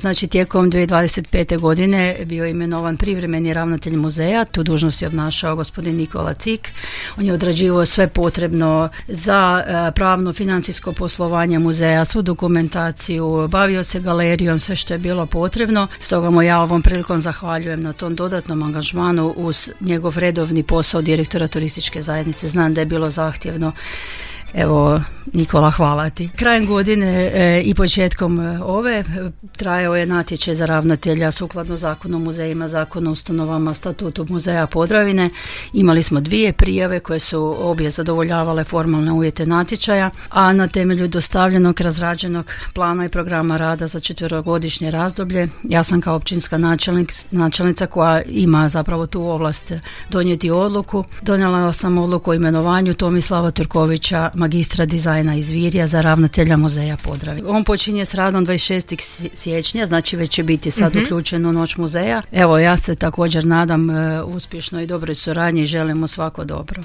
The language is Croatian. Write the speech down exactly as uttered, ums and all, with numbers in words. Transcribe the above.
Znači, tijekom dvije tisuće dvadeset pete. godine bio je imenovan privremeni ravnatelj muzeja, tu dužnost je obnašao gospodin Nikola Cik. On je odrađivao sve potrebno za pravno financijsko poslovanje muzeja, svu dokumentaciju, bavio se galerijom, sve što je bilo potrebno. Stoga mu ja ovom prilikom zahvaljujem na tom dodatnom angažmanu uz njegov redovni posao direktora turističke zajednice. Znam da je bilo zahtjevno. Evo, Nikola, hvala ti. Krajem godine e, i početkom ove trajao je natječaj za ravnatelja sukladno Zakonu o muzejima, Zakonu o ustanovama, Statutu muzeja Podravine. Imali smo dvije prijave koje su obje zadovoljavale formalne uvjete natječaja, a na temelju dostavljenog razrađenog plana i programa rada za četverogodišnje razdoblje, ja sam kao općinska načelnik, načelnica koja ima zapravo tu ovlast donijeti odluku, donijela sam odluku o imenovanju Tomislava Turkovića, magistra dizajna iz Virja, za ravnatelja muzeja Podravine. On počinje s radom dvadeset šestog siječnja, znači već će biti sad mm-hmm. uključen u Noć muzeja. Evo, ja se također nadam uh, uspješnoj i dobroj suradnji i želim mu svako dobro.